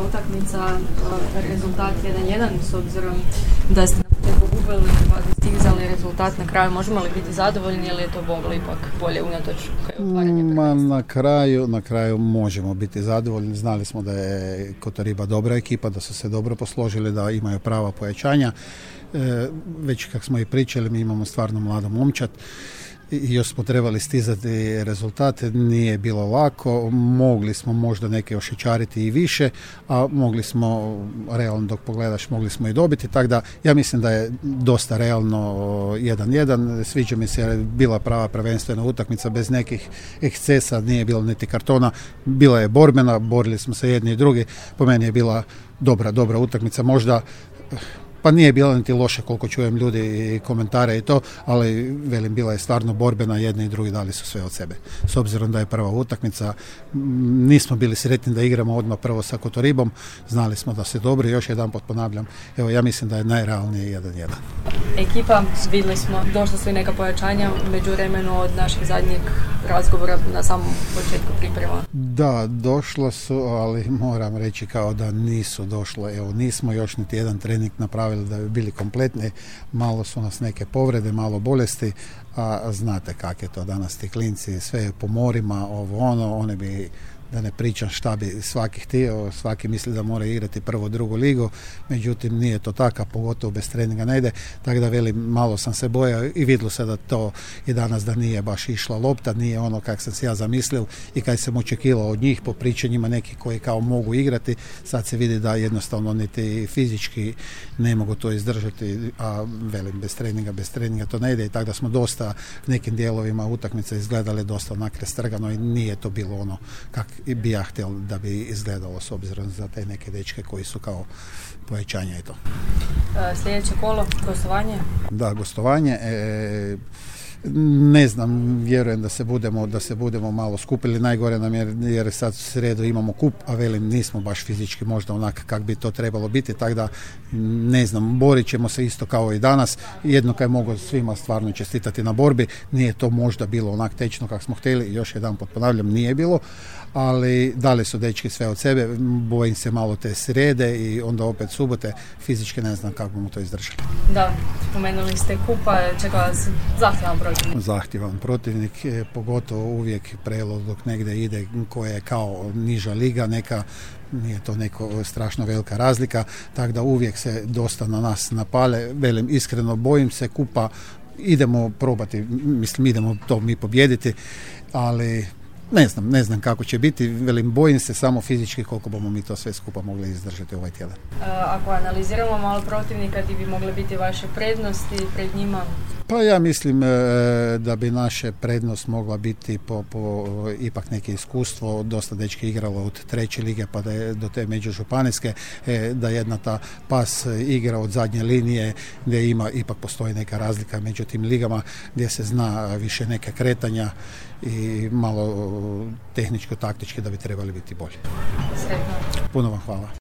ova utakmica, rezultat 1-1 s obzirom da ste na početku gubili pa dostizali rezultat na kraju. Možemo li biti zadovoljni ili je to moglo ipak bolje unatoč otvaranje prvenstva? Na kraju možemo biti zadovoljni. Znali smo da je Kotoriba dobra ekipa, da su se dobro posložili, da imaju prava pojačanja. Već kako smo i pričali, mi imamo stvarno mlado momčad i još smo trebali stizati rezultate, nije bilo lako, mogli smo možda neke ošičariti i više, a mogli smo, realno dok pogledaš, mogli smo i dobiti, tako da ja mislim da je dosta realno 1-1, sviđa mi se, bila prava prvenstvena utakmica bez nekih ekscesa, nije bilo niti kartona, bila je borbena, borili smo se jedni i drugi, po meni je bila dobra utakmica, možda pa nije bila niti loša koliko čujem ljudi i komentare i to, ali velim, bila je stvarno borbena, jedni i drugi dali su sve od sebe. S obzirom da je prva utakmica, nismo bili sretni da igramo odmah prvo sa Kotoribom, znali smo da se dobri, još jedanput ponavljam, evo ja mislim da je najrealnije 1-1. Ekipa, vidjeli smo, došla su i neka pojačanja međuvremenu od našeg zadnjeg razgovora na samom početku priprema. Da, došla su, ali moram reći kao da nisu došle, evo nismo još niti jedan trening napravili da bi bili kompletni, malo su nas neke povrede, malo bolesti, a znate kak je to danas, ti klinci, sve je po morima, one bi, da ne pričam šta bi svaki htio, svaki misli da mora igrati prvu, drugu ligu, međutim nije to tako, pogotovo bez treninga ne ide, tako da velim, malo sam se bojao i vidjelo se da to i danas da nije baš išla lopta, nije ono kak sam si ja zamislio i kaj sam očekivao od njih po pričanjima neki koji kao mogu igrati, sad se vidi da jednostavno niti fizički ne mogu to izdržati, a velim, bez treninga to ne ide i tako da smo dosta nekim dijelovima utakmice izgledali dosta nakrestrgano i nije to bilo ono kak i bi ja htjel da bi izgledalo s obzirom za te neke dečke koji su kao povećanja i to. Sljedeće kolo, gostovanje? Da, gostovanje. Ne znam, vjerujem da se budemo malo skupili, najgore nam jer sad u sredu imamo kup, a velim nismo baš fizički možda onak kak bi to trebalo biti, tako da ne znam, borit ćemo se isto kao i danas, jedno kaj mogu svima stvarno čestitati na borbi, nije to možda bilo onak tečno kako smo htjeli, još jedanput ponavljam, nije bilo, ali dali su dečki sve od sebe, bojim se malo te srede i onda opet subote, fizički ne znam kako bomo to izdržali. Da, spomenuli ste kupa, čeka vas zahtjevan protivnik. Zahtjevan protivnik, pogotovo uvijek prelaz dok negdje ide koja je kao niža liga, neka nije to neko strašno velika razlika, tako da uvijek se dosta na nas napale, velim iskreno bojim se kupa, idemo probati, mislim idemo to mi pobijediti, ali ne znam kako će biti, velim bojim se samo fizički koliko bomo mi to sve skupa mogli izdržati ovaj tjedan. Ako analiziramo malo protivnika, ti bi mogle biti vaše prednosti pred njima? Pa ja mislim da bi naše prednost mogla biti po ipak neke iskustvo, dosta dečki igralo od treće lige pa da je do te međužupanijske, da jedna ta pas igra od zadnje linije gdje ipak postoji neka razlika među tim ligama gdje se zna više neke kretanja i malo tehničko-taktički da bi trebali biti bolji. Sretno. Puno vam hvala.